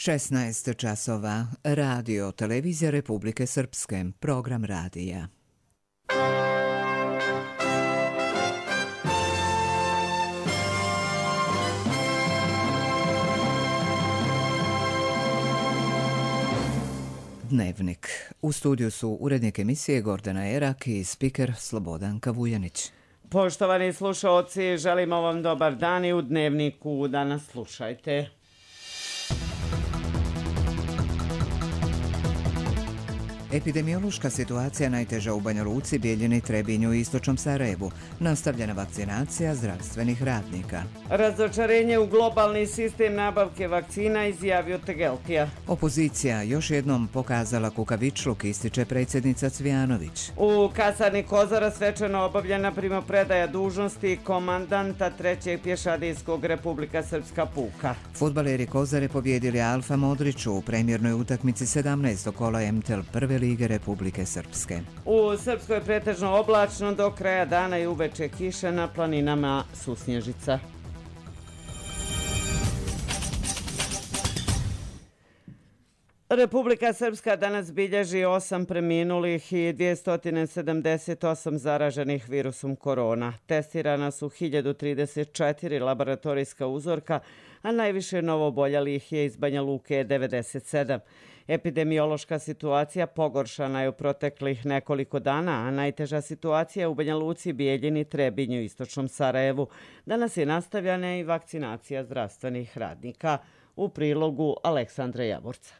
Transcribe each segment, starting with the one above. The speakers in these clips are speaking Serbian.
16 časova. Radio Televizija Republike Srpske. Program radija. Dnevnik. U studiju su urednik emisije Gordana Erak i spiker Slobodanka Vujanić. Poštovani slušaoci, želimo vam dobar dan i u Dnevniku danas slušajte. Epidemiološka situacija najteža u Banja Luci, Bijeljini, Trebinju i Istočnom Sarajevu. Nastavljena vakcinacija zdravstvenih radnika. Razočarenje u globalni sistem nabavke vakcina, izjavio Tegeltija. Opozicija još jednom pokazala kukavičluk, ističe predsjednica Cvijanović. U kasarni Kozara svečano obavljena primopredaja dužnosti komandanta 3. pješadijskog Republika Srpska puka. Fudbaleri Kozare pobjedili Alfa Modriću u premjernoj utakmici 17. kola MTL prve Lige Republike Srpske. U Srpskoj je pretežno oblačno, do kraja dana i uveče kiša, na planinama susnježica. Republika Srpska danas bilježi 8 preminulih i 278 zaraženih virusom korona. Testirana su 1034 laboratorijska uzorka, a najviše novooboljelih je iz Banja Luke 97. Epidemiološka situacija pogoršana je u proteklih nekoliko dana, a najteža situacija u Banja Luci, Bijeljini, Trebinju i Istočnom Sarajevu. Danas je nastavljena i vakcinacija zdravstvenih radnika. U prilogu Aleksandra Javorca.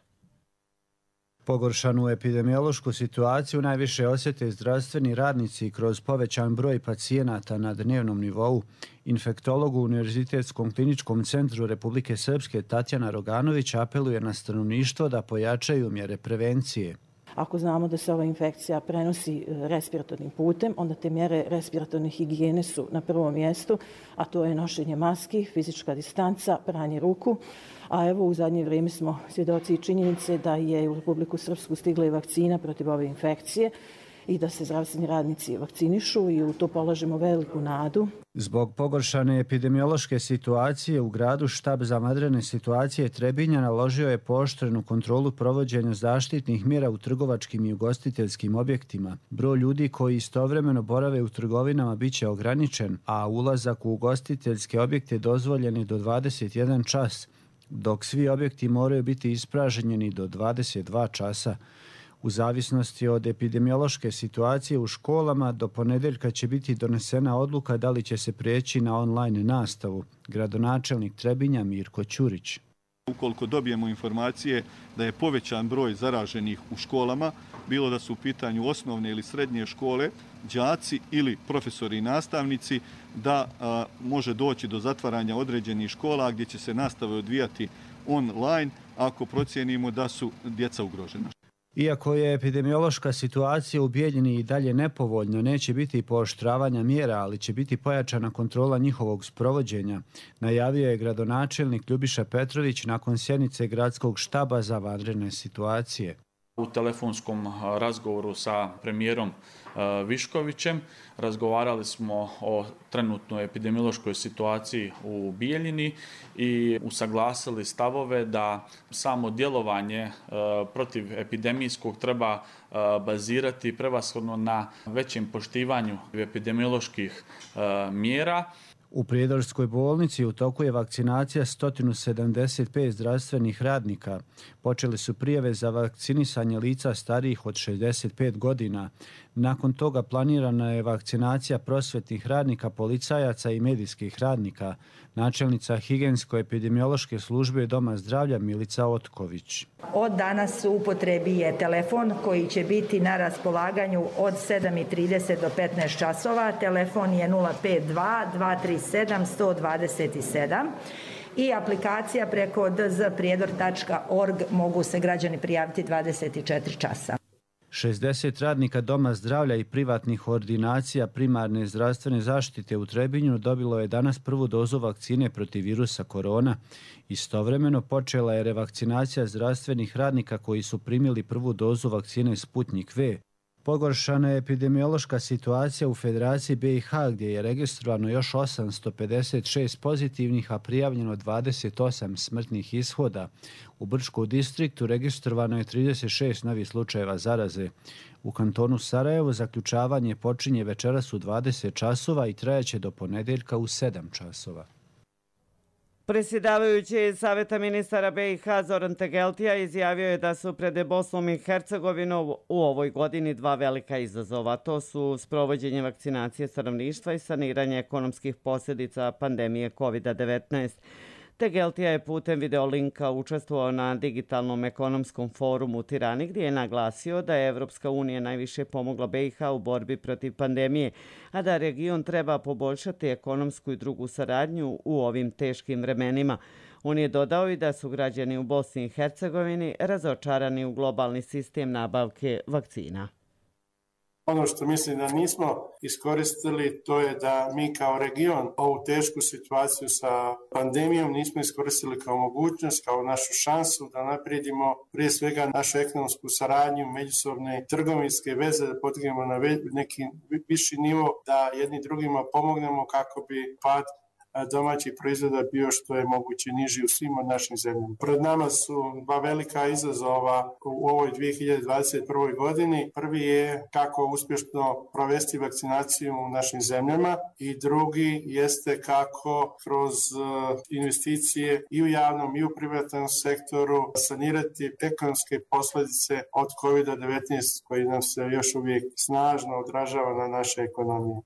Pogoršanu epidemiološku situaciju najviše osjete zdravstveni radnici kroz povećan broj pacijenata na dnevnom nivou. Infektolog u Univerzitetskom kliničkom centru Republike Srpske Tatjana Roganović apeluje na stanovništvo da pojačaju mjere prevencije. Ako znamo da se ova infekcija prenosi respiratornim putem, onda te mjere respiratorne higijene su na prvom mjestu, a to je nošenje maski, fizička distanca, pranje ruku. A evo u zadnje vrijeme smo svjedoci i činjenice da je u Republiku Srpsku stigla i vakcina protiv ove infekcije i da se zdravstveni radnici vakcinišu i u to polažemo veliku nadu. Zbog pogoršane epidemiološke situacije u gradu štab za vanredne situacije Trebinja naložio je pooštrenu kontrolu provođenja zaštitnih mjera u trgovačkim i ugostiteljskim objektima. Broj ljudi koji istovremeno borave u trgovinama biće ograničen, a ulazak u ugostiteljske objekte dozvoljen je do 21 čas, dok svi objekti moraju biti ispražnjeni do 22 časa. U zavisnosti od epidemiološke situacije u školama, do ponedeljka će biti donesena odluka da li će se prijeći na online nastavu. Gradonačelnik Trebinja Mirko Ćurić. Ukoliko dobijemo informacije da je povećan broj zaraženih u školama, bilo da su u pitanju osnovne ili srednje škole, đaci ili profesori i nastavnici, da može doći do zatvaranja određenih škola gdje će se nastave odvijati online ako procijenimo da su djeca ugrožena. Iako je epidemiološka situacija u Bijeljini i dalje nepovoljna, neće biti pooštravanja mjera, ali će biti pojačana kontrola njihovog sprovođenja, najavio je gradonačelnik Ljubiša Petrović nakon sjednice gradskog štaba za vanredne situacije. U telefonskom razgovoru sa premijerom Viškovićem razgovarali smo o trenutnoj epidemiološkoj situaciji u Bijeljini i usaglasili stavove da samo djelovanje protiv epidemijskog treba bazirati prevashodno na većem poštivanju epidemioloških mjera. U Prijedorskoj bolnici u toku je vakcinacija 175 zdravstvenih radnika. Počeli su prijave za vakcinisanje lica starijih od 65 godina. Nakon toga planirana je vakcinacija prosvetnih radnika, policajaca i medijskih radnika. Načelnica higijensko-epidemiološke službe Doma zdravlja Milica Otković. Od danas u upotrebi je telefon koji će biti na raspolaganju od 7:30 do 15 časova. Telefon je 052 237 127 i aplikacija preko dzprijedor.org mogu se građani prijaviti 24 časa. 60 radnika Doma zdravlja i privatnih ordinacija primarne zdravstvene zaštite u Trebinju dobilo je danas prvu dozu vakcine protiv virusa korona. Istovremeno počela je revakcinacija zdravstvenih radnika koji su primili prvu dozu vakcine Sputnik V. Pogoršana je epidemiološka situacija u Federaciji BiH gdje je registrovano još 856 pozitivnih, a prijavljeno 28 smrtnih ishoda. U Brčkom distriktu registrovano je 36 novih slučajeva zaraze. U kantonu Sarajevo zaključavanje počinje večeras u 20 časova i trajaće do ponedjeljka u 7 časova. Predsjedavajući Saveta ministara BiH Zoran Tegeltija izjavio je da su pred Bosnom i Hercegovinom u ovoj godini dva velika izazova. To su sprovođenje vakcinacije stanovništva i saniranje ekonomskih posljedica pandemije COVID-19. Tegeltija je putem videolinka učestvovao na digitalnom ekonomskom forumu u Tirani gdje je naglasio da je Evropska unija najviše pomogla BiH u borbi protiv pandemije, a da region treba poboljšati ekonomsku i drugu saradnju u ovim teškim vremenima. On je dodao i da su građani u Bosni i Hercegovini razočarani u globalni sistem nabavke vakcina. Ono što mislim da nismo iskoristili, to je da mi kao region ovu tešku situaciju sa pandemijom nismo iskoristili kao mogućnost, kao našu šansu da naprijedimo prije svega našu ekonomsku saradnju, međusobne trgovinske veze, da podignemo na neki viši nivo, da jedni drugima pomognemo kako bi pad domaćih proizvoda bio što je moguće niži u svim od našim zemljama. Pred nama su dva velika izazova u ovoj 2021. godini. Prvi je kako uspješno provesti vakcinaciju u našim zemljama i drugi jeste kako kroz investicije i u javnom i u privatnom sektoru sanirati ekonomske posljedice od COVID-19 koji nam se još uvijek snažno odražava na naše ekonomije.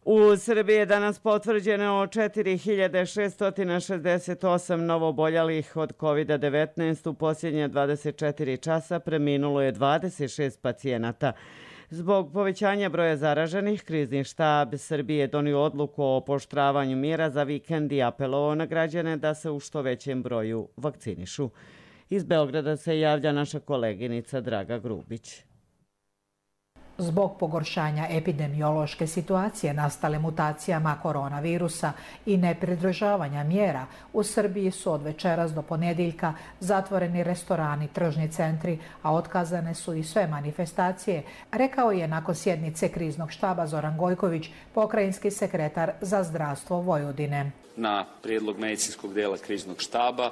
U Srbiji je danas potvrđeno 4668 novooboljelih od COVID-19. U posljednje 24 časa preminulo je 26 pacijenata. Zbog povećanja broja zaraženih, krizni štab Srbije je donio odluku o pooštravanju mjera za vikend i apelovao na građane da se u što većem broju vakcinišu. Iz Beograda se javlja naša koleginica Draga Grubić. Zbog pogoršanja epidemiološke situacije nastale mutacijama koronavirusa i nepridržavanja mjera, u Srbiji su od večeras do ponedjeljka zatvoreni restorani, tržni centri, a otkazane su i sve manifestacije, rekao je nakon sjednice kriznog štaba Zoran Gojković, pokrajinski sekretar za zdravstvo Vojvodine. Na prijedlog medicinskog dela kriznog štaba,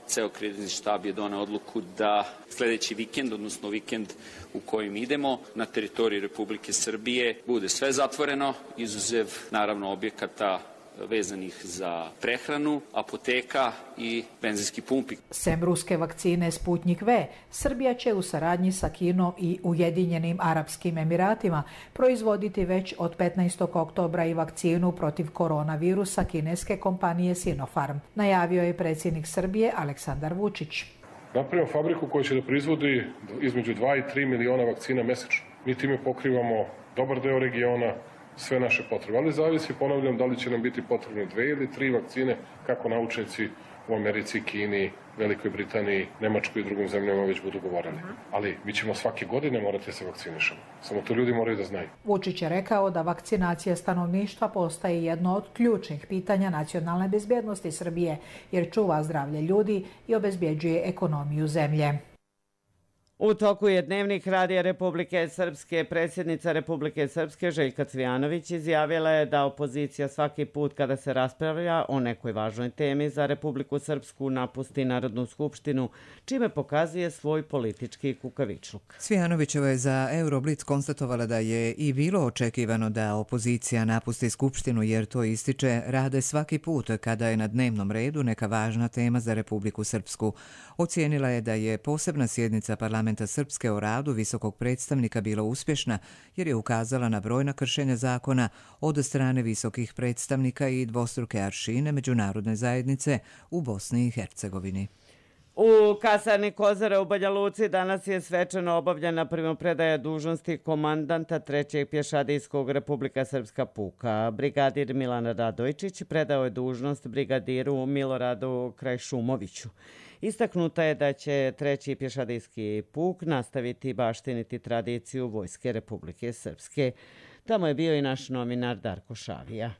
ceo krizni štab je doneo odluku da sljedeći vikend, odnosno vikend u kojim idemo, na teritoriji Republike Srbije bude sve zatvoreno, izuzev naravno objekata vezanih za prehranu, apoteka i benzinski pumpi. Sem ruske vakcine Sputnik V, Srbija će u saradnji sa Kinom i Ujedinjenim Arapskim Emiratima proizvoditi već od 15. oktobra i vakcinu protiv koronavirusa kineske kompanije Sinopharm, najavio je predsjednik Srbije Aleksandar Vučić. Napravimo fabriku koja će da proizvodi između 2 i 3 miliona vakcina mesečno. Mi time pokrivamo dobar deo regiona, sve naše potrebe. Ali zavisi, ponavljam, da li će nam biti potrebne 2 ili 3 vakcine, kako naučnici u Americi, Kini, Velikoj Britaniji, Nemačkoj i drugim zemljama već budu govorili. Ali mi ćemo svake godine morati da se vakcinišemo. Samo to ljudi moraju da znaju. Vučić je rekao da vakcinacija stanovništva postaje jedno od ključnih pitanja nacionalne bezbjednosti Srbije, jer čuva zdravlje ljudi i obezbjeđuje ekonomiju zemlje. U toku je dnevnik Radija Republike Srpske. Predsjednica Republike Srpske Željka Cvijanović izjavila je da opozicija svaki put kada se raspravlja o nekoj važnoj temi za Republiku Srpsku napusti Narodnu skupštinu, čime pokazuje svoj politički kukavičluk. Cvijanovićeva je za Euroblitz konstatovala da je i bilo očekivano da opozicija napusti skupštinu jer to ističe rade svaki put kada je na dnevnom redu neka važna tema za Republiku Srpsku. Ocijenila je da je posebna sjednica parlamenta Srpske o radu visokog predstavnika bila uspješna jer je ukazala na brojna kršenja zakona od strane visokih predstavnika i dvostruke aršine međunarodne zajednice u Bosni i Hercegovini. U kasarni Kozara u Banja Luci danas je svečano obavljena primopredaja dužnosti komandanta 3. pješadijskog Republika Srpska puka. Brigadir Milan Radojčić predao je dužnost brigadiru Miloradu Krajšumoviću. Istaknuta je da će 3. pješadijski puk nastaviti baštiniti tradiciju Vojske Republike Srpske. Tamo je bio i naš novinar Darko Šavija.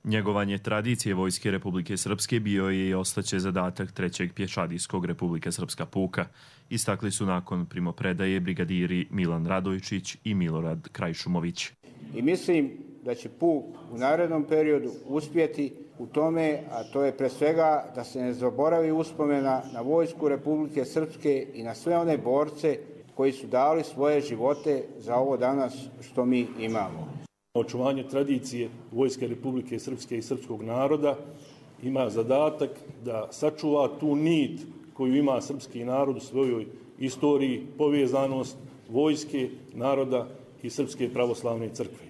Njegovanje tradicije Vojske Republike Srpske bio je i ostaće zadatak 3. pješadijskog Republike Srpska puka. Istakli su nakon primopredaje brigadiri Milan Radojčić i Milorad Krajšumović. I mislim da će puk u narednom periodu uspjeti u tome, a to je pre svega da se ne zaboravi uspomena na Vojsku Republike Srpske i na sve one borce koji su dali svoje živote za ovo danas što mi imamo. Očuvanje tradicije Vojske Republike Srpske i srpskog naroda ima zadatak da sačuva tu nit koju ima srpski narod u svojoj istoriji, povezanost vojske, naroda i Srpske pravoslavne crkve.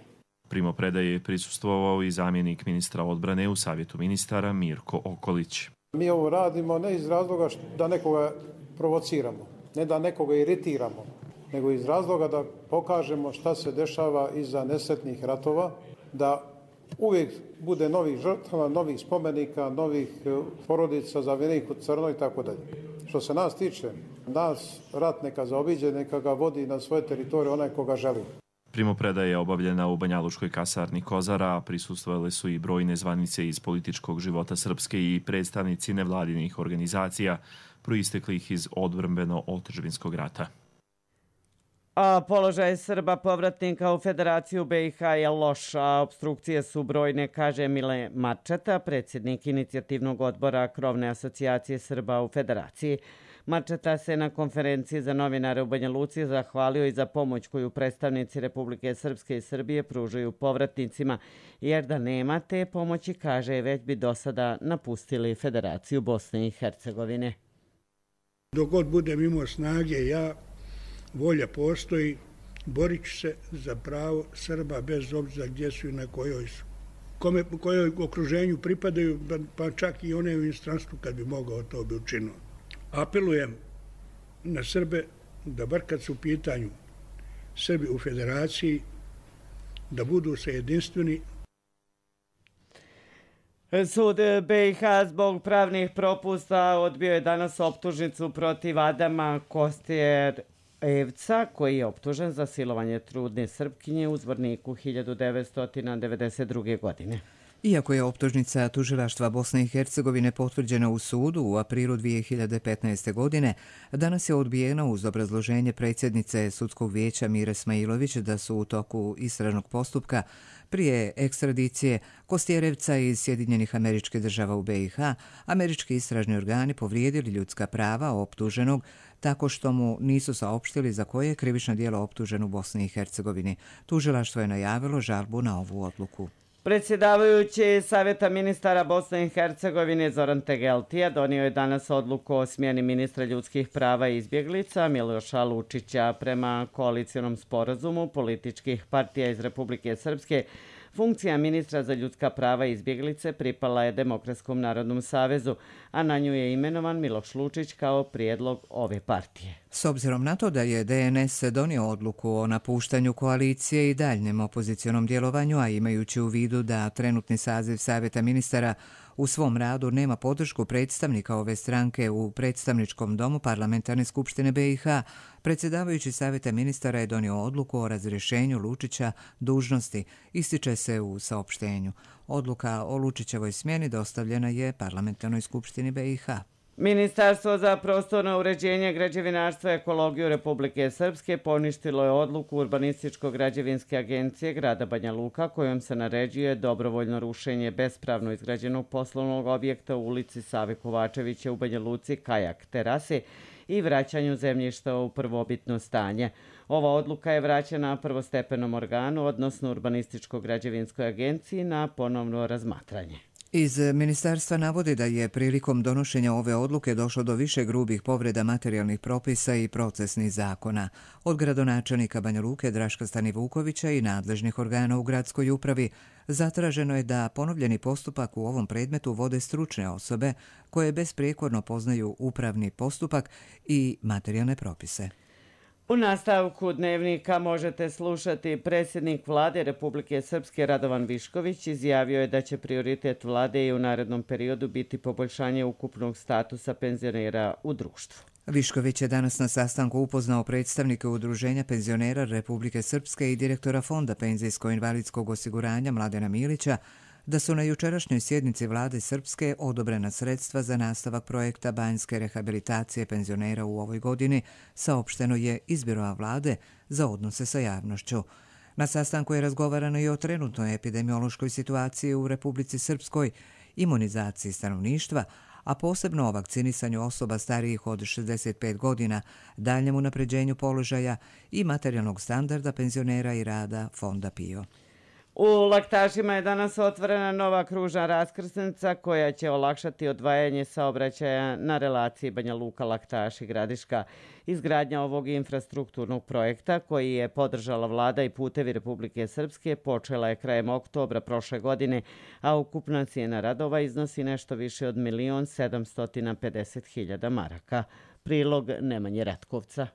Primopredaje je prisustvovao i zamjenik ministra odbrane u Savjetu ministara Mirko Okolić. Mi ovo radimo ne iz razloga da nekoga provociramo, ne da nekoga iritiramo, nego iz razloga da pokažemo šta se dešava iza nesretnih ratova, da uvijek bude novih žrtava, novih spomenika, novih porodica zavijenih u crno i tako dalje. Što se nas tiče, nas rat neka zaobiđe, neka ga vodi na svoje teritorije onaj koga želi. Primopredaja je obavljena u Banjalučkoj kasarni Kozara, a prisustvovale su i brojne zvanice iz političkog života Srpske i predstavnici nevladinih organizacija proisteklih iz odbrambeno-otadžbinskog rata. A položaj Srba povratnika u Federaciju BiH je loš, a opstrukcije su brojne, kaže Mile Marčeta, predsjednik inicijativnog odbora Krovne asocijacije Srba u Federaciji. Marčeta se na konferenciji za novinare u Banja Luci zahvalio i za pomoć koju predstavnici Republike Srpske i Srbije pružaju povratnicima, jer da nema te pomoći, kaže, već bi do sada napustili Federaciju Bosne i Hercegovine. Dok god budem imao snage, volja postoji, borit ću se za pravo Srba bez obzira gdje su i na kojoj su. Kojoj okruženju pripadaju, pa čak i one u inostranstvu kad bi mogao to bi učinio. Apelujem na Srbe da bar kad su u pitanju Srbi u Federaciji, da budu se jedinstveni. Sud BiH zbog pravnih propusta odbio je danas optužnicu protiv Adama Kostjer-Evca, koji je optužen za silovanje trudne Srpkinje u Zvorniku 1992. godine. Iako je optužnica tužilaštva Bosne i Hercegovine potvrđena u sudu u aprilu 2015. godine, danas je odbijena uz obrazloženje predsjednice Sudskog vijeća Mire Smailović da su u toku istražnog postupka prije ekstradicije Kostjerevca iz Sjedinjenih Američkih Država u BiH, američki istražni organi povrijedili ljudska prava optuženog tako što mu nisu saopštili za koje je krivično djelo optužen u Bosni i Hercegovini. Tužilaštvo je najavilo žalbu na ovu odluku. Predsjedavajući Savjeta ministara Bosne i Hercegovine Zoran Tegeltija donio je danas odluku o smjeni ministra ljudskih prava i izbjeglica Miloša Lučića. Prema koalicionom sporazumu političkih partija iz Republike Srpske, funkcija ministra za ljudska prava i izbjeglice pripala je Demokratskom narodnom savezu, a na nju je imenovan Miloš Lučić kao prijedlog ove partije. S obzirom na to da je DNS donio odluku o napuštanju koalicije i daljnjem opozicionom djelovanju, a imajući u vidu da trenutni saziv Savjeta ministara u svom radu nema podršku predstavnika ove stranke u predstavničkom domu Parlamentarne skupštine BiH, predsjedavajući Savjeta ministara je donio odluku o razrješenju Lučića dužnosti, ističe se u saopštenju. Odluka o Lučićevoj smjeni dostavljena je Parlamentarnoj skupštini BiH. Ministarstvo za prostorno uređenje, građevinarstvo i ekologiju Republike Srpske poništilo je odluku Urbanističko-građevinske agencije grada Banja Luka kojom se naređuje dobrovoljno rušenje bespravno izgrađenog poslovnog objekta u ulici Save Kovačevića u Banja Luci Kajak terase i vraćanju zemljišta u prvobitno stanje. Ova odluka je vraćena prvostepenom organu, odnosno Urbanističko-građevinskoj agenciji, na ponovno razmatranje. Iz ministarstva navode da je prilikom donošenja ove odluke došlo do više grubih povreda materijalnih propisa i procesnih zakona. Od gradonačelnika Banja Luke Draška Stanivukovića i nadležnih organa u gradskoj upravi zatraženo je da ponovljeni postupak u ovom predmetu vode stručne osobe koje besprijekorno poznaju upravni postupak i materijalne propise. U nastavku dnevnika možete slušati predsjednik vlade Republike Srpske Radovan Višković izjavio je da će prioritet vlade i u narednom periodu biti poboljšanje ukupnog statusa penzionera u društvu. Višković je danas na sastanku upoznao predstavnike Udruženja penzionera Republike Srpske i direktora Fonda penzijsko-invalidskog osiguranja Mladena Milića da su na jučerašnjoj sjednici vlade Srpske odobrena sredstva za nastavak projekta banjske rehabilitacije penzionera u ovoj godini, saopšteno je iz biroa vlade za odnose sa javnošću. Na sastanku je razgovarano i o trenutnoj epidemiološkoj situaciji u Republici Srpskoj, imunizaciji stanovništva, a posebno o vakcinisanju osoba starijih od 65 godina, daljem unapređenju položaja i materijalnog standarda penzionera i rada Fonda PIO. U Laktašima je danas otvorena nova kružna raskrsnica koja će olakšati odvajanje saobraćaja na relaciji Banja Luka-Laktaši Gradiška. Izgradnja ovog infrastrukturnog projekta, koji je podržala vlada i putevi Republike Srpske, počela je krajem oktobra prošle godine, a ukupna cijena radova iznosi nešto više od 1.750.000 maraka. Prilog Nemanje Ratkovca.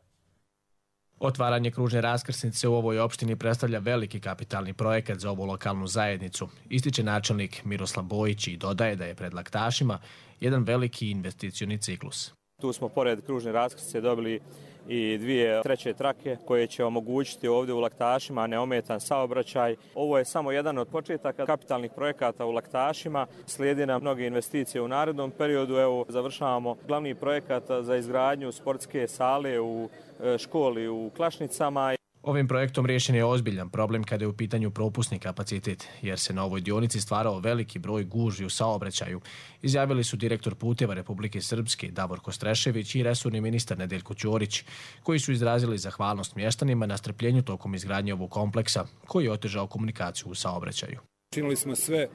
Otvaranje kružne raskrsnice u ovoj opštini predstavlja veliki kapitalni projekat za ovu lokalnu zajednicu, ističe načelnik Miroslav Bojić i dodaje da je pred Laktašima jedan veliki investicioni ciklus. Tu smo pored kružne raskrsnice dobili i 2 treće trake koje će omogućiti ovdje u Laktašima neometan saobraćaj. Ovo je samo jedan od početaka kapitalnih projekata u Laktašima. Slijedi nam mnoge investicije u narednom periodu. Evo, završavamo glavni projekat za izgradnju sportske sale u školi u Klašnicama. Ovim projektom riješen je ozbiljan problem kada je u pitanju propusni kapacitet, jer se na ovoj dionici stvarao veliki broj gužvi u saobraćaju, izjavili su direktor puteva Republike Srpske Davorko Strešević i resorni ministar Nedeljko Ćorić, koji su izrazili zahvalnost mještanima na strpljenju tokom izgradnje ovog kompleksa, koji je otežao komunikaciju u saobraćaju. Činili smo sve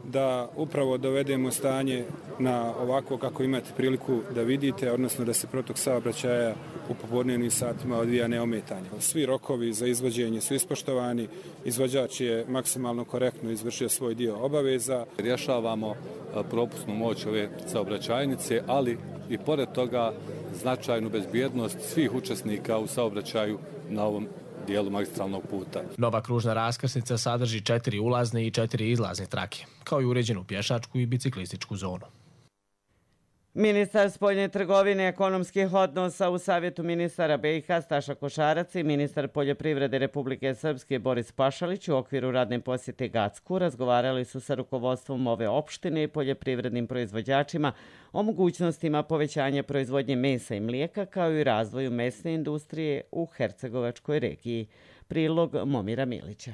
da upravo dovedemo stanje na ovako kako imate priliku da vidite, odnosno da se protok saobraćaja u popodnevnim satima odvija neometanje. Svi rokovi za izvođenje su ispoštovani, izvođač je maksimalno korektno izvršio svoj dio obaveza. Rješavamo propusnu moć ove saobraćajnice, ali i pored toga značajnu bezbjednost svih učesnika u saobraćaju na ovom dijelu magistralnog puta. Nova kružna raskrsnica sadrži 4 ulazne i 4 izlazne trake, kao i uređenu pješačku i biciklističku zonu. Ministar spoljne trgovine i ekonomskih odnosa u Savjetu ministara BiH Staša Košarac i ministar poljoprivrede Republike Srpske Boris Pašalić u okviru radne posjete Gacku razgovarali su sa rukovodstvom ove opštine i poljoprivrednim proizvođačima o mogućnostima povećanja proizvodnje mesa i mlijeka kao i razvoju mesne industrije u Hercegovačkoj regiji. Prilog Momira Milića.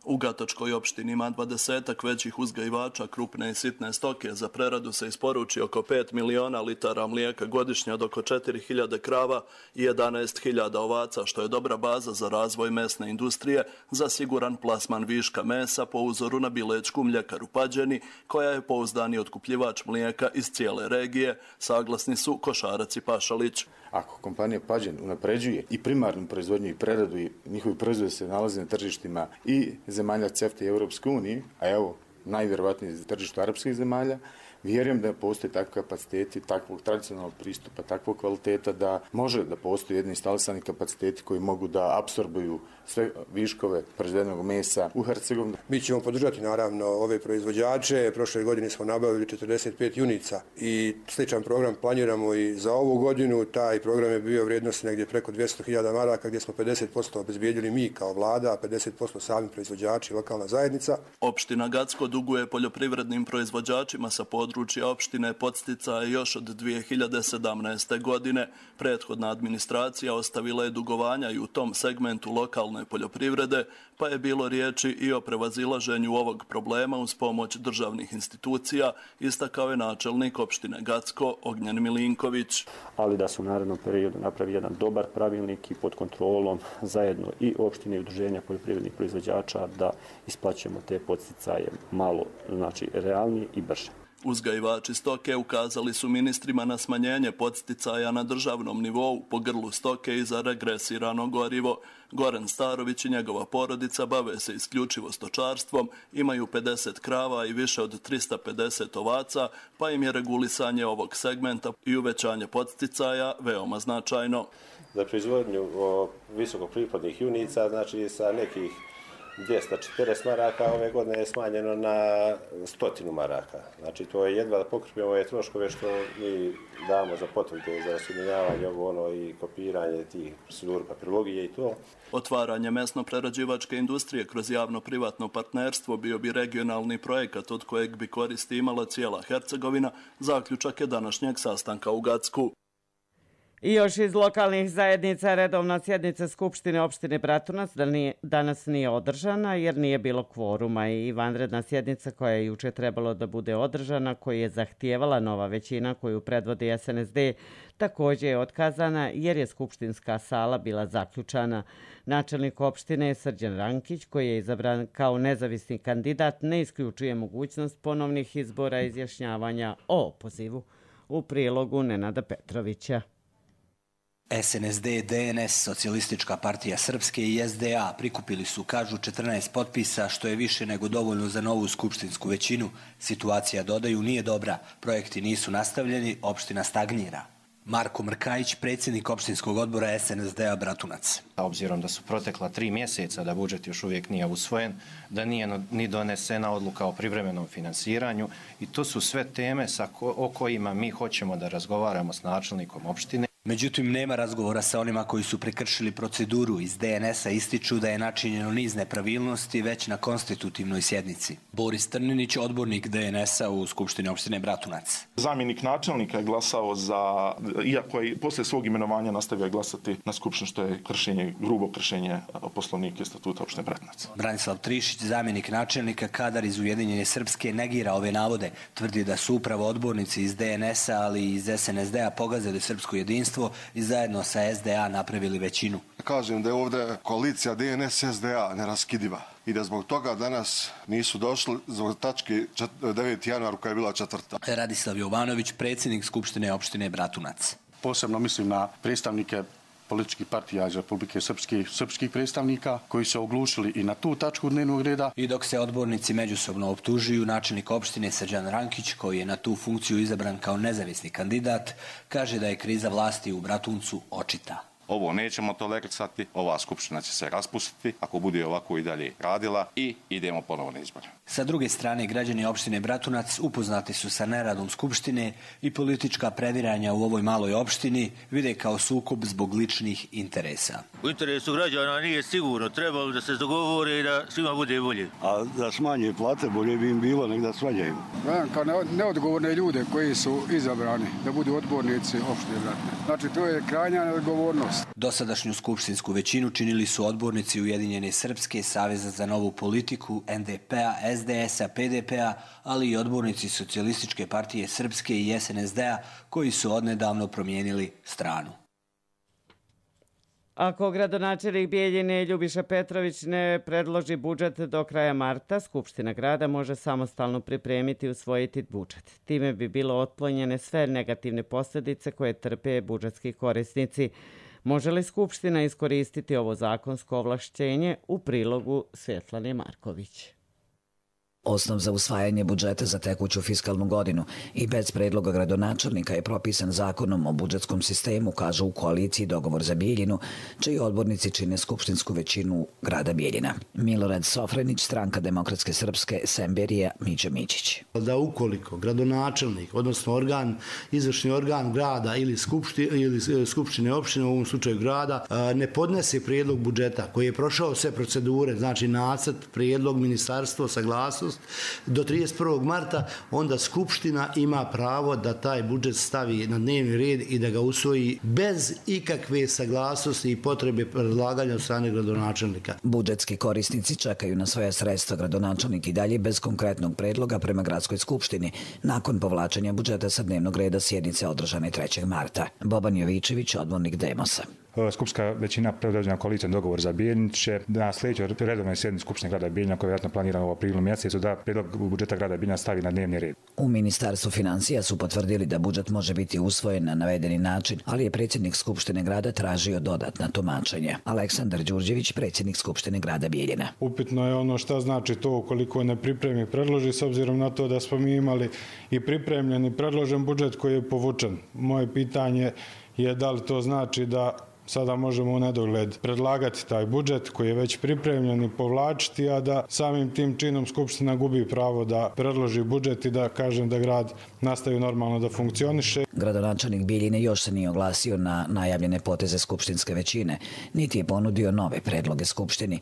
U Gatočkoj opštini ima 20 većih uzgajivača krupne i sitne stoke. Za preradu se isporuči oko 5 miliona litara mlijeka godišnje od oko 4.000 krava i 11.000 ovaca, što je dobra baza za razvoj mesne industrije za siguran plasman viška mesa po uzoru na bilečku mljekaru Pađeni, koja je pouzdani otkupljivač mlijeka iz cijele regije, saglasni su Košarac i Pašalić. Ako kompanija Pađen unapređuje i primarnu proizvodnju i preradu i njihovi proizvodi se nalaze na tržištima i zemalja CEFTA i Europske unije, a evo najvjerovatnije tržištu arapskih zemalja, vjerujem da postoje takvi kapaciteti, takvog tradicionalnog pristupa, takvog kvaliteta da može da postoje jedni instalisani kapaciteti koji mogu da apsorbuju sve viškove proizvedenog mesa u Hercegovini. Mi ćemo podržati naravno ove proizvođače. Prošle godine smo nabavili 45 junica i sličan program planiramo i za ovu godinu. Taj program je bio vrijednosti negdje preko 200.000 maraka gdje smo 50% obezbijedili mi kao vlada, a 50% sami proizvođači i lokalna zajednica. Opština Gacko duguje poljoprivrednim proizvođačima sa područja opštine podsticaje još od 2017. godine. Prethodna administracija ostavila je dugovanja i u tom segmentu lokalne poljoprivrede, pa je bilo riječi i o prevazilaženju ovog problema uz pomoć državnih institucija, istakao je načelnik opštine Gacko Ognjen Milinković. Ali da se u narednom periodu napravi jedan dobar pravilnik i pod kontrolom zajedno i opštine i udruženja poljoprivrednih proizvođača da isplaćujemo te podsticaje malo, znači realnije i brže. Uzgajivači stoke ukazali su ministrima na smanjenje podsticaja na državnom nivou po grlu stoke i za regresirano gorivo. Goran Starović i njegova porodica bave se isključivo stočarstvom, imaju 50 krava i više od 350 ovaca, pa im je regulisanje ovog segmenta i uvećanje podsticaja veoma značajno. Za proizvodnju visokopriplodnih junica, znači sa nekih 240 maraka, ove godine je smanjeno na 100 maraka. Znači to je jedva da pokrpimo ove troškove što mi damo za potvrde za osjedinjavanje i kopiranje tih procedura papirologije i to. Otvaranje mesno-prerađivačke industrije kroz javno-privatno partnerstvo bio bi regionalni projekat od kojeg bi koristi imala cijela Hercegovina, zaključak je današnjeg sastanka u Gacku. I još iz lokalnih zajednica redovna sjednica Skupštine opštine Bratunac danas nije održana jer nije bilo kvoruma i vanredna sjednica koja je juče trebalo da bude održana, koju je zahtijevala nova većina koju predvodi SNSD, također je otkazana jer je skupštinska sala bila zaključana. Načelnik opštine Srđan Rankić, koji je izabran kao nezavisni kandidat, ne isključuje mogućnost ponovnih izbora i izjašnjavanja o opozivu. U prilogu Nenada Petrovića. SNSD, DNS, Socijalistička partija Srpske i SDA prikupili su, kažu, 14 potpisa, što je više nego dovoljno za novu skupštinsku većinu. Situacija, dodaju, nije dobra, projekti nisu nastavljeni, opština stagnira. Marko Mrkajić, predsjednik opštinskog odbora SNSD-a Bratunac. Obzirom da su protekla 3 mjeseca, da budžet još uvijek nije usvojen, da nije ni donesena odluka o privremenom finansiranju i to su sve teme o kojima mi hoćemo da razgovaramo s načelnikom opštine. Međutim, nema razgovora sa onima koji su prekršili proceduru. Iz DNS-a ističu da je načinjeno niz nepravilnosti već na konstitutivnoj sjednici. Boris Trninić, odbornik DNS-a u Skupštini opštine Bratunac. Zamjenik načelnika je glasao za, iako je posle svog imenovanja nastavio glasati na Skupštini, što je grubo kršenje poslovnika i statuta opštine Bratunac. Branislav Trišić, zamjenik načelnika, kadar iz Ujedinjene Srpske, negira ove navode. Tvrdi da su upravo odbornici iz DNS-a, ali i iz SNSD-a pogazili srpsko jedinstvo i zajedno sa SDA napravili većinu. Kažem da je ovdje koalicija DNS-SDA neraskidiva i da zbog toga danas nisu došli zbog tačke 9. januar koja je bila 4. Radislav Jovanović, predsjednik Skupštine opštine Bratunac. Posebno mislim na predstavnike političkih partija iz Republike Srpske, srpskih predstavnika koji se oglušili i na tu tačku dnevnog reda. I dok se odbornici međusobno optužuju, načelnik opštine Srđan Rankić, koji je na tu funkciju izabran kao nezavisni kandidat, kaže da je kriza vlasti u Bratuncu očita. Ovo nećemo tolerisati, ova skupština će se raspustiti ako bude ovako i dalje radila i idemo ponovo na izbore. Sa druge strane, građani opštine Bratunac upoznati su sa neradom skupštine i politička previranja u ovoj maloj opštini vide kao sukob zbog ličnih interesa. U interesu građana nije sigurno, trebalo da se dogovore i da svima bude bolje. A da smanje plate bolje bi im bilo nek da smanjaju. Kao neodgovorne ljude koji su izabrani da budu odbornici opštine Bratunac. Znači to je krajnja neodgovornost. Dosadašnju skupštinsku većinu činili su odbornici Ujedinjene Srpske, Saveza za novu politiku, NDP-a, SDS-a, PDP-a, ali i odbornici Socijalističke partije Srpske i SNSD-a koji su odnedavno promijenili stranu. Ako gradonačelnik Bijeljine Ljubiša Petrović ne predloži budžet do kraja marta, Skupština grada može samostalno pripremiti i usvojiti budžet. Time bi bilo otklonjene sve negativne posljedice koje trpe budžetski korisnici. Može li Skupština iskoristiti ovo zakonsko ovlašćenje? U prilogu Svjetlane Marković. Osnov za usvajanje budžeta za tekuću fiskalnu godinu i bez predloga gradonačelnika je propisan zakonom o budžetskom sistemu, kažu u koaliciji Dogovor za Bijeljinu, čiji odbornici čine skupštinsku većinu grada Bijeljina. Milorad Sofrenić, Stranka demokratske srpske, Semberija, Mića Mićić. Da ukoliko gradonačelnik, odnosno izvršni organ grada ili skupštine opštine, u ovom slučaju grada, ne podnese prijedlog budžeta koji je prošao sve procedure, znači nacrt, prijedlog, ministarstvo, saglasnost, do 31. marta, onda Skupština ima pravo da taj budžet stavi na dnevni red i da ga usvoji bez ikakve saglasnosti i potrebe predlaganja od strane gradonačelnika. Budžetski korisnici čekaju na svoja sredstva, gradonačelnik i dalje bez konkretnog predloga prema gradskoj skupštini, nakon povlačenja budžeta sa dnevnog reda sjednice održane 3. marta. Boban Jovičević, odbornik Demosa. Skupštinska većina predvođena koalicijom Dogovor za Bijeljinu će na sljedećoj redovnoj sjednici Skupštine grada Bijeljina, koja je vjerojatno planirana u aprilu mjesecu, da prijedlog budžeta grada Bijeljina stavi na dnevni red. U Ministarstvu financija su potvrdili da budžet može biti usvojen na navedeni način, ali je predsjednik Skupštine grada tražio dodatna tumačenja. Aleksandar Đurđević, predsjednik Skupštine grada Bijeljina. Upitno je ono šta znači to ukoliko ne pripremi predloži, s obzirom na to da smo mi imali i pripremljen i predložen budžet koji je povučen. Moje pitanje je da li to znači da Sada možemo u nedogled predlagati taj budžet koji je već pripremljen i povlačiti, a da samim tim činom Skupština gubi pravo da predloži budžet i da kažem da grad nastavi normalno da funkcioniše. Gradonačelnik Bijeljine još se nije oglasio na najavljene poteze skupštinske većine, niti je ponudio nove predloge Skupštini.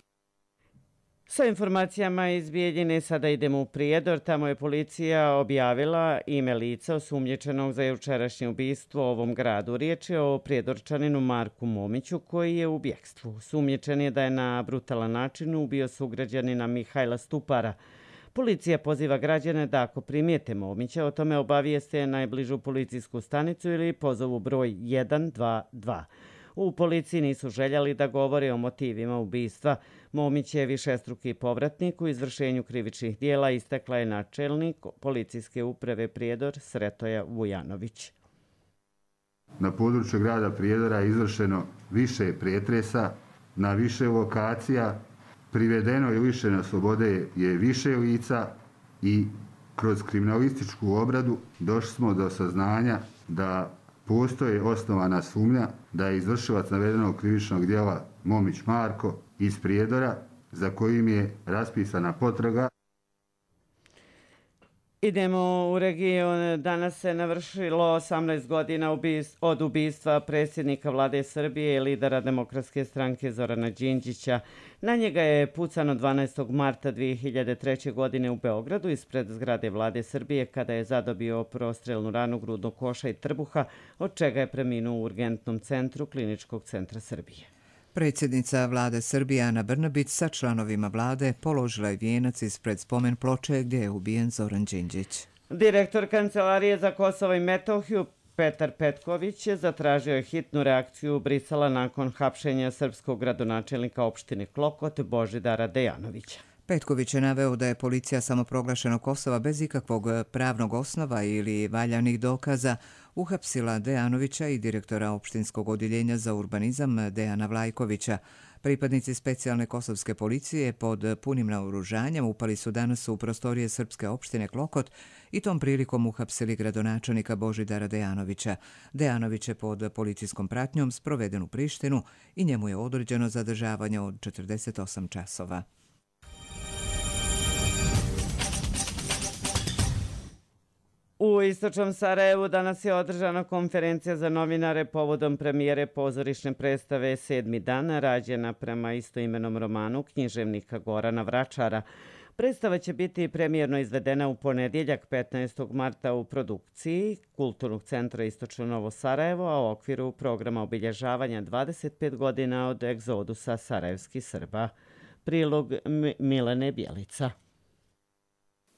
Sa informacijama iz Bijeljine sada idemo u Prijedor. Tamo je policija objavila ime lica osumnjičenog za jučerašnje ubistvo u ovom gradu. Riječ je o prijedorčaninu Marku Momiću koji je u bjekstvu. Osumnjičen je da je na brutalan način ubio sugrađanina Mihajla Stupara. Policija poziva građane da ako primijete Momića, o tome obavijeste najbližu policijsku stanicu ili pozovu broj 122. U policiji nisu željeli da govore o motivima ubistva. Momić je višestruki povratnik u izvršenju krivičnih dijela, istakla je načelnik policijske uprave Prijedor Sretoja Vujanović. Na području grada Prijedora je izvršeno više pretresa na više lokacija, privedeno i lišeno slobode je više lica i kroz kriminalističku obradu došli smo do saznanja da postoji osnovana sumnja da je izvršilac navedenog krivičnog djela Momić Marko iz Prijedora, za kojim je raspisana potraga. Idemo u region. Danas se navršilo 18 godina od ubistva predsjednika vlade Srbije i lidera Demokratske stranke Zorana Đinđića. Na njega je pucano 12. marta 2003. godine u Beogradu ispred zgrade vlade Srbije kada je zadobio prostrelnu ranu grudnog koša i trbuha, od čega je preminuo u urgentnom centru Kliničkog centra Srbije. Predsjednica vlade Srbije Ana Brnabić sa članovima vlade položila je vijenac ispred spomen ploče gdje je ubijen Zoran Đinđić. Direktor Kancelarije za Kosovo i Metohiju Petar Petković zatražio je hitnu reakciju Brisela nakon hapšenja srpskog gradonačelnika opštine Klokot Božidara Dejanovića. Petković je naveo da je policija samoproglašenog Kosova bez ikakvog pravnog osnova ili valjanih dokaza uhapsila Dejanovića i direktora opštinskog odjeljenja za urbanizam Dejana Vlajkovića. Pripadnici specijalne kosovske policije pod punim naoružanjem upali su danas u prostorije srpske opštine Klokot i tom prilikom uhapsili gradonačelnika Božidara Dejanovića. Dejanović je pod policijskom pratnjom sproveden u Prištinu i njemu je određeno zadržavanje od 48 časova. U istočnom Sarajevu danas je održana konferencija za novinare povodom premijere pozorišne predstave 7. dan, rađena prema istoimenom romanu književnika Gorana Vračara. Predstava će biti premijerno izvedena u ponedjeljak 15. marta u produkciji Kulturnog centra Istočno Novo Sarajevo, a u okviru programa obilježavanja 25 godina od egzodusa sarajevskih Srba. Prilog Milene Bjelica.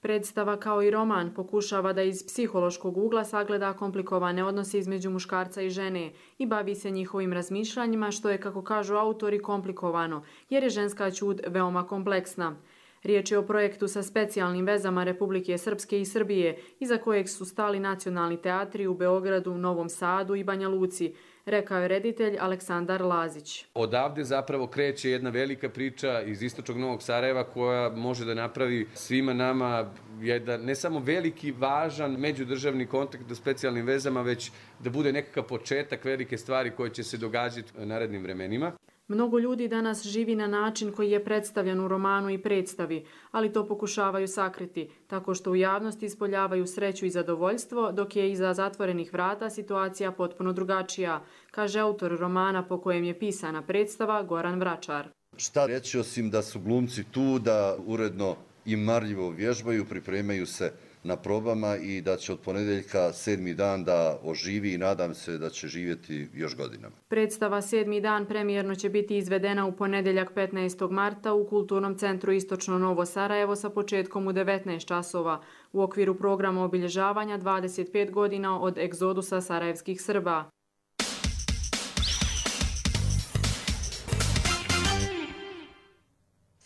Predstava kao i roman pokušava da iz psihološkog ugla sagleda komplikovane odnose između muškarca i žene i bavi se njihovim razmišljanjima, što je, kako kažu autori, komplikovano, jer je ženska ćud veoma kompleksna. Riječ je o projektu sa specijalnim vezama Republike Srpske i Srbije, iza kojeg su stali nacionalni teatri u Beogradu, Novom Sadu i Banja Luci, rekao je reditelj Aleksandar Lazić. Odavde zapravo kreće jedna velika priča iz istočnog Novog Sarajeva koja može da napravi svima nama jedan ne samo veliki, važan međudržavni kontakt u specijalnim vezama, već da bude nekakav početak velike stvari koje će se događati u narednim vremenima. Mnogo ljudi danas živi na način koji je predstavljen u romanu i predstavi, ali to pokušavaju sakriti, tako što u javnosti ispoljavaju sreću i zadovoljstvo, dok je iza zatvorenih vrata situacija potpuno drugačija, kaže autor romana po kojem je pisana predstava Goran Vračar. Šta reći osim da su glumci tu, da uredno i marljivo vježbaju, pripremaju se na probama i da će od ponedeljka 7. dan da oživi i nadam se da će živjeti još godinama. Predstava 7. dan premijerno će biti izvedena u ponedeljak 15. marta u Kulturnom centru Istočno Novo Sarajevo sa početkom u 19 časova u okviru programa obilježavanja 25 godina od egzodusa sarajevskih Srba.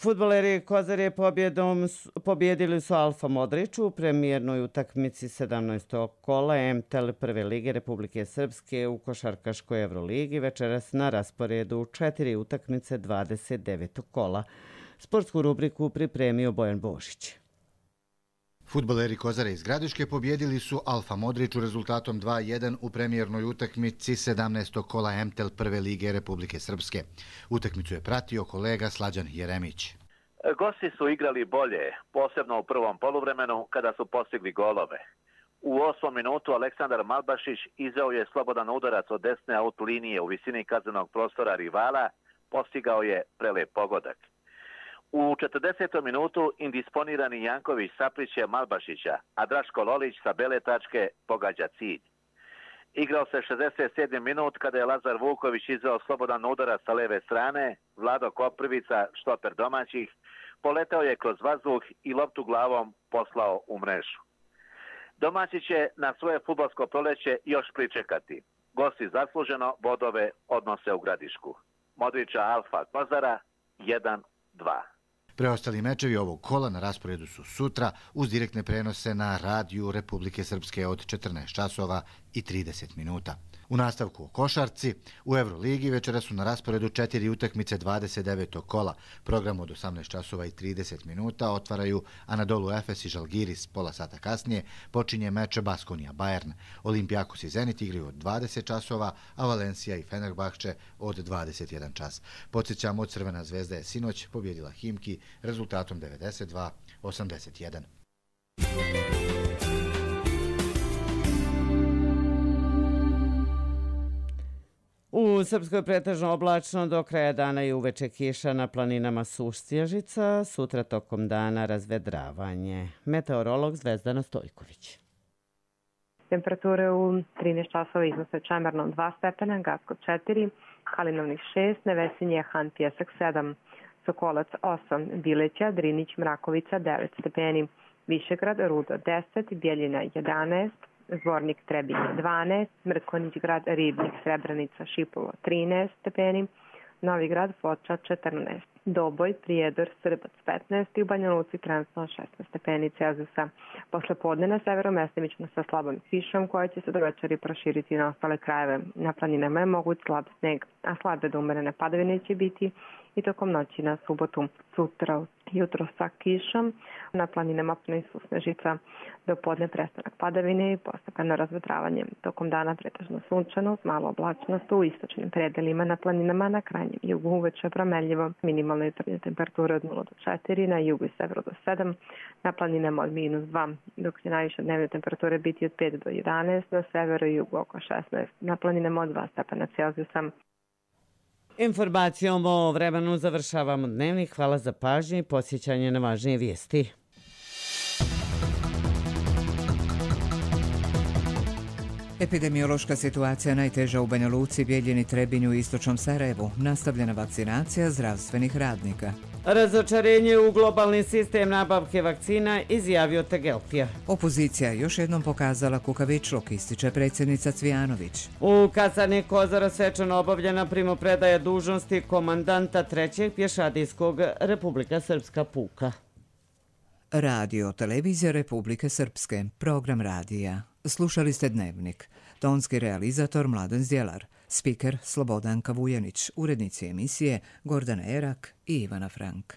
Fudbaleri Kozare pobjedili su Alfa Modriću u premijernoj utakmici 17. kola MTL Prve lige Republike Srpske u košarkaškoj Evroligi večeras na rasporedu 4 utakmice 29. kola. Sportsku rubriku pripremio Bojan Božić. Fudbaleri Kozare iz Gradiške pobjedili su Alfa Modriću rezultatom 2:1 u premijernoj utakmici 17. kola MTEL prve lige Republike Srpske. Utakmicu je pratio kolega Slađan Jeremić. Gosti su igrali bolje, posebno u prvom poluvremenu kada su postigli golove. U 8. minutu Aleksandar Malbašić izveo je slobodan udarac od desne aut linije u visini kaznenog prostora rivala, postigao je prelep pogodak. U 40. minutu indisponirani Janković sapliće Malbašića, a Draško Lolić sa bele tačke pogađa cilj. Igrao se 67. minut kada je Lazar Vuković izveo slobodan udarac sa leve strane, Vlado Koprivica, štoper domaćih, poletao je kroz vazduh i loptu glavom poslao u mrežu. Domaći će na svoje fudbalsko proleće još pričekati. Gosti zasluženo bodove odnose u Gradišku. Modrića Alfa Kozara 1-2. Preostali mečevi ovog kola na rasporedu su sutra uz direktne prenose na radiju Republike Srpske od 14 časova i 30 minuta. U nastavku o košarci, u Euroligi večera su na rasporedu 4 utakmice 29. kola. Program od 18 časova i 30 minuta otvaraju Anadolu Efes i Žalgiris. Pola sata kasnije počinje meč Baskonija Bayern. Olimpijakos i Zenit igraju od 20 časova, a Valencija i Fenerbahče od 21 čas. Podsjećamo, Crvena zvezda je sinoć pobjedila Himki rezultatom 92-81. U Srpskoj pretežno oblačno, do kraja dana i uveče kiša, na planinama suš snježica, sutra tokom dana razvedravanje. Meteorolog Zvezdana Stojković. Temperature u 13 časova iznose Čemernom 2 stepena, Gacko 4, Kalinovnik 6, Nevesinje, Han, Pjesak 7, Sokolac 8, Bileća, Drinić, Mrakovica 9 stepeni, Višegrad, Rudo 10, Bjeljina 11, Zvornik, Trebinje 12, Mrkonić grad, Ribnik, Srebrenica, Šipovo 13 stepeni, Novi grad, Foča 14, Doboj, Prijedor, Srbac 15 i u Banja Luci trenutno 16 stepeni Celzijusa. Posle podne na severu mestimično sa slabom kišom koja će se do večeri proširiti na ostale krajeve. Na planinama je moguć slab sneg, a slabe do umerene padavine će biti i tokom noći na subotu. Sutra jutro sa kišom, na planinama su snežica, do podne prestanak padavine i postepeno razvedravanje. Tokom dana pretežno sunčano, malo oblačnost u istočnim predelima, na planinama na krajnjem jugu uveče promenljivo, minimalne jutarnje temperature od 0 do 4, na jugu i severu do 7, na planinama od -2, dok će najviše dnevne temperature biti od 5 do 11, na severu i jugu oko 16, na planinama od 2 stepena Celzijusa. Informacijom o vremenu završavamo dnevnik. Hvala za pažnju i podsjećanje na važnije vijesti. Epidemiološka situacija najteža u Banja Luci, Bijeljini, Trebinju i istočnom Sarajevu. Nastavljena vakcinacija zdravstvenih radnika. Razočarenje u globalni sistem nabavke vakcina, izjavio Tegeltija. Opozicija je još jednom pokazala kukavičluk, ističe predsjednica Cvijanović. U kasarni Kozara svečano obavljena primopredaja dužnosti komandanta 3. pješadijskog Republika Srpska puka. Radio Televizija Republike Srpske, program radija. Slušali ste Dnevnik. Tonski realizator Mladen Zdjelar, spiker Slobodanka Vujanić, urednici emisije Gordana Erak i Ivana Frank.